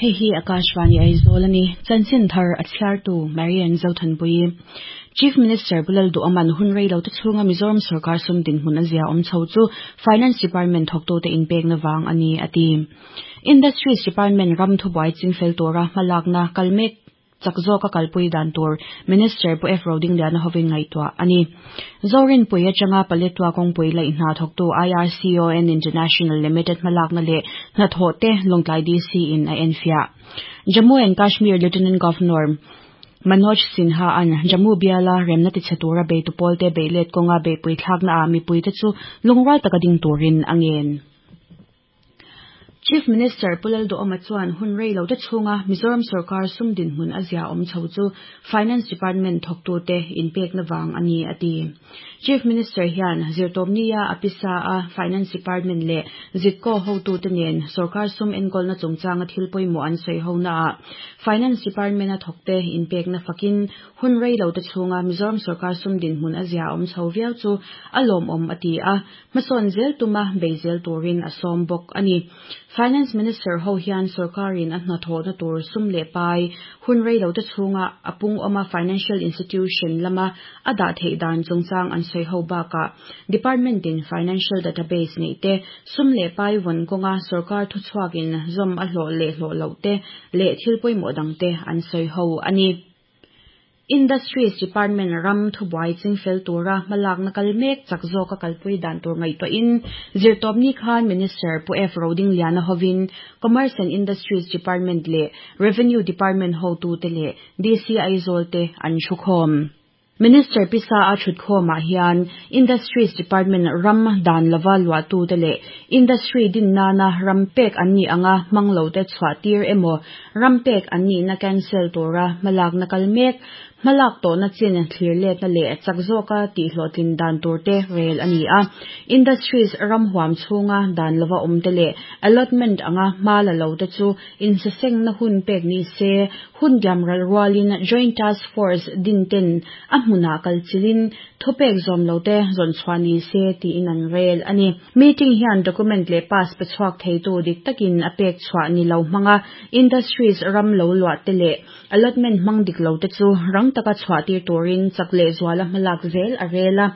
Hei hi Akashvani Aizawl a ni. Chanchin thar a chhiartu Marian Zothanpuii. Chief Minister Pu Lalduhawma'n hun rei lo te chhunga Mizoram sorkar sum dinhmun a zia awm chho chu Finance Department thawktute inpekna vang a ni a ti. Industries Department ram thubuai chingfel tura hmalakna kal mek chak zawka kalpui dan tur Minister Pu F Rodingliana hovin ngaihtuah a ni. Zorinpui atanga Paletwa kawngpui laih hna thawktu IRCON International Limited hmalakna leh hnathawh te Lawngtlai DC in a enfiah. Jammu and Kashmir Lieutenant Governor Manoj Sinha an Jammu biala remna tichhe tura beitu pawlte beihlet kawnga beihpui thlakna ah mipuite chu lungrual taka ding turin a ngen. Chief Minister Pu Lalduhawma chuan hun rei lo te chhunga Mizoram sorkar sum dinhmun a zia awm chho chu Finance Department thawktute inpekna vang a ni a ti. Chief Minister hian zirtawpnia a pisa a Finance Department leh Zitco hotute nen sorkar sum enkawlna chungchanga thil pawimawh an sawi honaah Finance Department-a thawkte inpekna fakin hun rei lo te chhunga Mizoram sorkar sum dinhmun a zia awm chho viau chu a lawmawm a ti a. Hmasawn zel tuma bei zel turin a sawm bawk a ni. Finance Minister ho hian sorkarin a hnathawhna tur sum leh pai hun rei lo te chhunga a pung awma financial institution lama a dah theih dan chungchang an sawi ho bakah department in financial database neih te, sum leh pai vawn kawnga sorkar thuchhuakin zawm a hlawh leh hlawh loh te leh thil pawimawh dangte an sawi ho a ni. Industries Department ram thubuai chingfel tura hmalakna kal mek chak zawka kalpui dan tur ngaihtuahin zirtawpni khan Minister Pu F Rodingliana hovin Commerce and Industries Department leh Revenue Department hotute leh DC Aizawl te an thukhawm. Minister pisa a thutkhawmah hian Industries Department ram dan lova luahtute leh Industry din nana ram pek an nih anga hmang lote chhuah tir emaw ram pek an nihna cancel tura hmalakna kal mek, hmalak tawhna chin thlir letna leh chak zawka tihhlawhtlin dan turte rel a ni a. Industries ram huam chhunga dan lova awmte leh allotment anga hma la lote chu insasengna hun pek ni se, hun diam ral rualin Joint Task Force din ten a hmunah kal chilin thupek zawm lote zawn chhuah ni se tiin an rel a ni. Meeting hian document leh pass pe chhuak theitu dik takin a pek chhuah ni lo hmanga Industries ram lo luah te leh allotment hmang dik lo te chu rang taka chhuah tir turin chak leh zuala hmalak zel a rel a.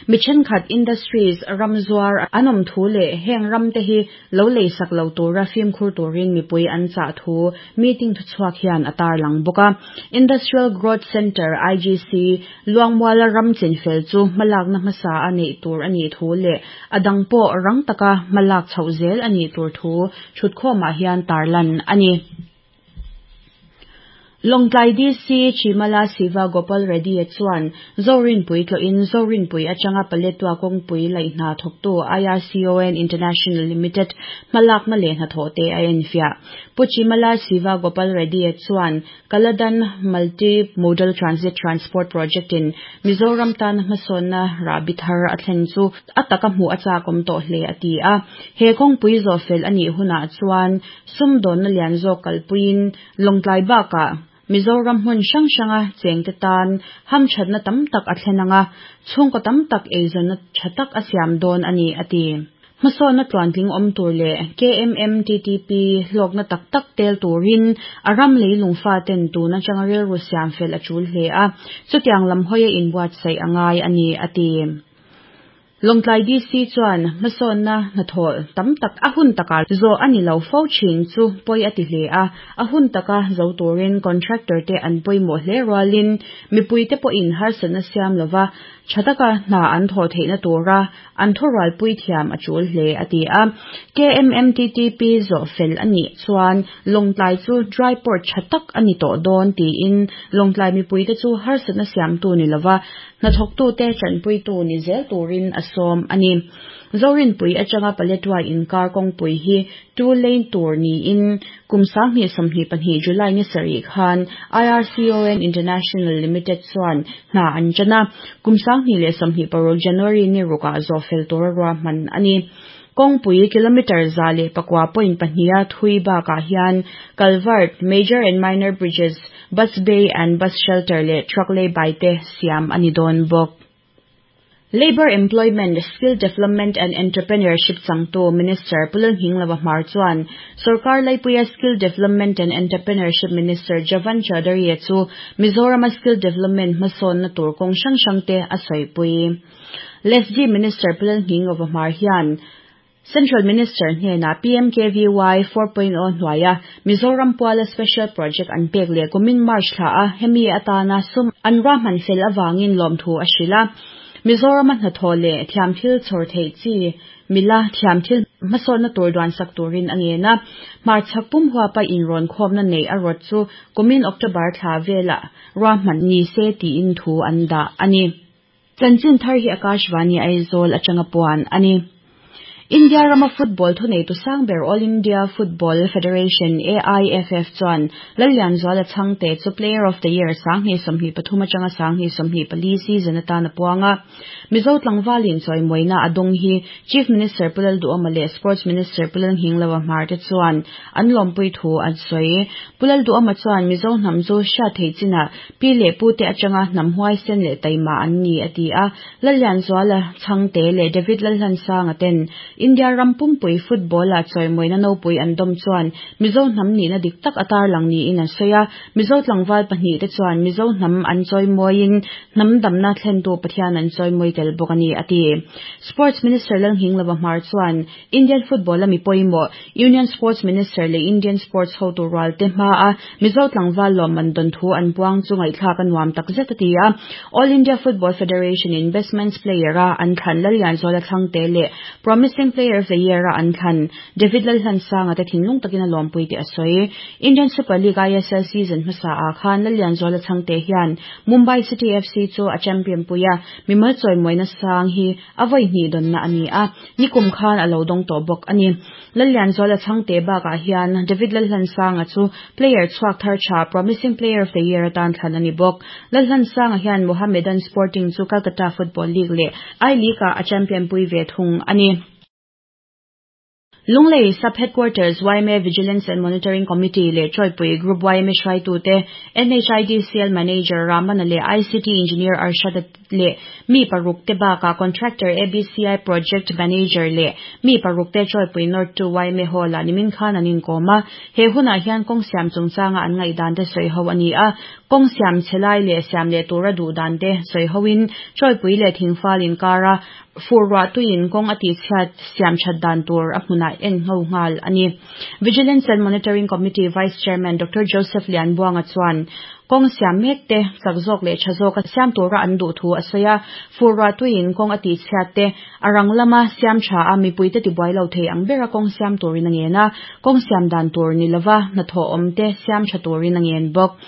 Mi thenkhat Industries ram zuar an awm thu leh heng ram te hi lo leisak lo tura fimkhur turin mipui an chah thu meeting thuchhuak hian a tarlang bawk a. Industrial Growth Centre, IGC, Luangmuala ram chinfel chu hmalakna hmasa a neih tur a nih thu leh a dang pawh rang taka hmalak chhoh zel a nih tur thu thutkhawmah hian tarlan a ni. Lawngtlai DC Chimala Siva Gopal Reddy chuan Zorinpui tlawhin Zorinpui atanga Paletwa kawngpui laih hna thawktu IRCON International Limited hmalakna leh hnathawhte a enfiah. Pu Chimala Siva Gopal Reddy chuan Kaladan Multi Modal Transit Transport Project in Mizoram tana hmasawnna rahbi thar a thlen chu a taka hmuh a chakawm tawh hle a ti a. He kawngpui zawhfel a nih hunah chuan sumdawnna lian zawk kalpuiin Lawngtlai bakah Mizoram hmun hrang hranga chengte tan hamthatna tam tak a thlen ang a, chhungkaw tam tak eizawnna tha tak a siam dawn a ni a ti. Hmasawnna tluantling awm tur leh KMMTTP hlawkna tak tak tel turin a ram leilung faten tun atanga rilru siam fel a tul hle a, chutiang lam hawia inbuatsaih a ngai a ni a ti. Lawngtlai DC chuan hmasawnna hnathawh tam tak a hun takah zawh a ni lo fo thin chu pawi a ti hle a, a hun taka zo turin contractor te an pawimawh hle rualin mipuite pawhin harsatna siam lova tha taka hna an thawh theihna tura an thurualpui thiam a tul hle a ti a. KMMTTP zawh fel a nih chuan Lawngtlai chu dry port tha tak a ni tawh dawn tiin Lawngtlai mipuite chu harsatna siamtu ni lova Hnathawktute tanpuitu ni zel turin a sawm a ni. Zorinpui atanga Paletwa inkar kawngpui hi two lane tur niin kum 2022 July ni sarih khan IRCON International Limited chuan hna an tan a, kum 2026 January ni rukah zawhfel tura ruahman a ni. Kawngpui kilometre 109.2 a thui bakah hian culvert, major and minor bridges, bus bay and bus shelter leh truck lay by te siam a ni dawn bawk. Labour, Employment, Skill Development and Entrepreneurship changtu Minister Pu Lalnghinglova Hmar chuan Sorkar laipuia Skill Development and Entrepreneurship Minister Javan Chaudhary-a chu Mizorama skill development hmasawnna tur kawng hrang hrangte a sawipui. LESDI Minister Pu Lalnghinglova Hmar hian Central Minister hnenah PMKVY 4.0 hnuaia Mizoram puala Special Project an pek leh kumin March thla a hemi atana sum an ruahman fel avangin lawmthu a hrilh a. Mizorama hnathawh leh thiamthil chhawr theih chi mila thiamthil hmasawnna tur duansak turin a ngen a. Hmarchhak pum huapa inrawn khawmna neih a rawt chu kumin October thla velah ruahman ni se tiin thu an dah a ni. Chanchin thar hi Akashvani Aizawl atanga puan a ni. India rama football thuneitu sang ber All India Football Federation, AIFF, chuan Lallianzuala Chhangte chu Player of the Year 2023 atanga 2024 season atan a puang a. Mizo tlangvalin chawimawina a dawng hi Chief Minister Pu Lalduhawma leh Sports Minister Pu Lalnghingloa Hmar te chuan an lawmpui thu an sawi. Pu Lalduhawma chuan Mizo hnam chu hriat theih chinah Pi leh pute atanga hnam huaisen leh taima an ni, a ti a. Lallianzuala Chhangte leh David Lalhlansanga ten India ram pumpui football-a chawimawina nopui an dawm chuan Mizo hnam nihna dik tak a tarlang niin an sawi a. Mizo tlangval pahnihte chuan Mizo hnam an chawimawiin hnam damna thlentu Pathian an chawimawi tel bawk a ni, a ti. Sports Minister Lalnghinglova Hmar chuan Indian football-a mi pawimawh, Union Sports Minister leh Indian Sports hotu rualte hmaa Mizo tlangval lawmman dawn thu an puang chu ngaihthlak a nuam tak zet a ti a. All India Football Federation-in Best Men's Player-a an thlan Lallianzuala Thlangte leh Promising Player of the Year-a an thlan David Lalhlansanga te thinlung takin a lawmpui tih a sawi. Indian Super League ISL season hmasaah khan Lallianzuala Chhangte hian Mumbai City FC chu a champion pui a, mimal chawimawina sang hi A vawi hnih dawnna a ni a, nikum khan a lo dawng tawh bawk a ni. Lallianzuala Chhangte bakah hian David Lalhlansanga chu player chhuak thar tha Promising Player of the Year atan thlan a ni bawk. Lalhlansanga hian Mohammedan Sporting chu Calcutta Football League leh I-League-ah a champion pui ve thung a ni. Lunglei Sub Headquarters yma Vigilance and Monitoring Committee leh Chawipui Group yma hruaitute, NHIDCL Manager Ramana leh ICT Engineer Arshad-a leh mi paruk te bakah Contractor ABCI Project Manager leh mi paruk te Chawipui North 2 yma Hall-ah nimin khan an inkawm a. He hunah hian kawng siam chungchanga an ngaihdan te sawi ho a ni a, kawng siam chhe lai leh siam leh tura duh dan te sawi hoin Chawipui leh Thingfal inkara Fur ruah tuiin kawng a tihchhiat siam that dan tur a hmunah en ngho nghal a ni. Vigilance and Monitoring Committee Vice Chairman Doctor Joseph Lianbuanga chuan kawng siam mek te chak zawk leh tha zawka siam tura an duh thu a sawi a. Fur ruah tuiin kawng a tihchhiat te a rang lama siam tha a mipuite tibuai lo thei ang bera kawng siam turin a ngen a, kawng siam dan tur ni lova hnathawh awm te siam tha turin a ngen bawk.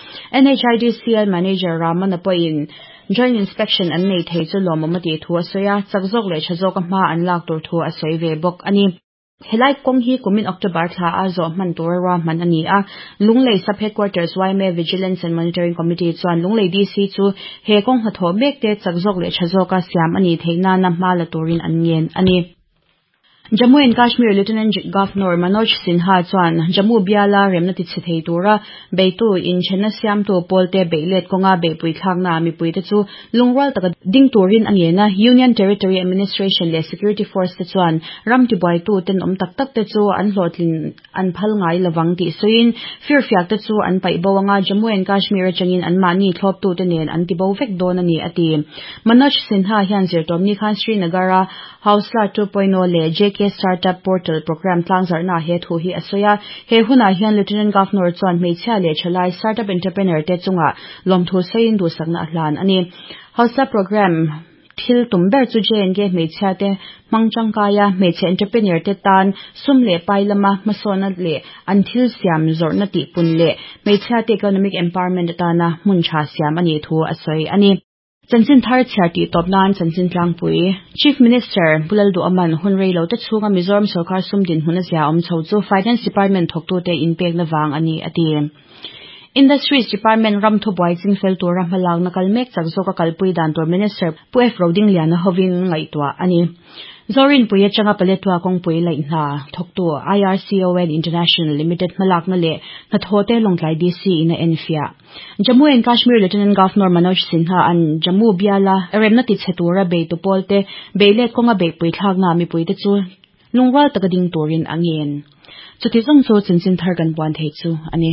NHIDCL Manager Ramana pawhin Joint Inspection an nei thei chu lawmawm a tih thu a sawi a, chak zawk leh tha zawka hma an lak tur thu a sawi ve bawk a ni. Helai kawng hi kumin October thla a zawh hman tura ruahman a ni a, Lunglei Sub Headquarters yma Vigilance and Monitoring Committee chuan Lunglei DC chu he kawng hnathawh mek te chak zawk leh tha zawka siam a nih theih nana hma la turin an ngen a ni. Jammu and Kashmir Lieutenant Governor Manoj Sinha chuan Jammu biala remna tichhe thei tura beitu inthenna siamtu pawlte beihlet kawnga beihpui thlaknaah mipuite chu lungrual taka ding turin a ngen a. Union Territory Administration leh Security Force te chuan ram tibuaitu tenawm tak tak te chu an hlawhtlin an phal ngai lovang tih sawiin firfiak te chu an paih bo anga Jammu and Kashmir atangin anmahni thlawptute nen an tibo vek dawn a ni a ti. Manoj Sinha hian zirtawpni khan Srinagar-a Hausla 2.0 leh JK Startup Portal Programme tlangzarhnaah he thu hi a sawi a. He hunah hian Lieutenant Governor chuan hmeichhia leh thalai startup entrepreneur te chungah lawmthu sawiin duhsakna a hlan a ni. Hausla Programme thil tum ber chu J&K hmeichhia te hmang tangkaia hmeichhe entrepreneur te tan sum leh pai lama hmasawnna leh an thil siam zawrhna tihpun leh hmeichhia te economic empowerment atana hmun tha siam a nih thu a sawi a ni. Chanchin thar chhiar tih tawp nan chanchin tlangpui Chief Minister Pu Lalduhawman hun rei lo te chhunga Mizoram sawrkar sum dinhmun a zia awm chho chu Finance Department thawktute inpekna vang a ni a ti. Industries Department ram thubuai chingfel tura hmalakna kal mek chak zawka kalpui dan tur Minister Pu F Rodingliana hovin ngaihtuah a ni. Zorinpui atanga Paletwa kawngpui laih hna thawktu IRCON International Limited hmalakna leh hnathawhte Lawngtlai DC in a enfiah. Jammu and Kashmir Lieutenant Governor Manoj Sinha an Jammu biala remna tichhe tura beitu pawlte beihlet kawnga beihpui thlakna mipuite chu lungrual taka ding turin a ngen. Chuti zawng chu chanchin thar kan puan thei chu a ni.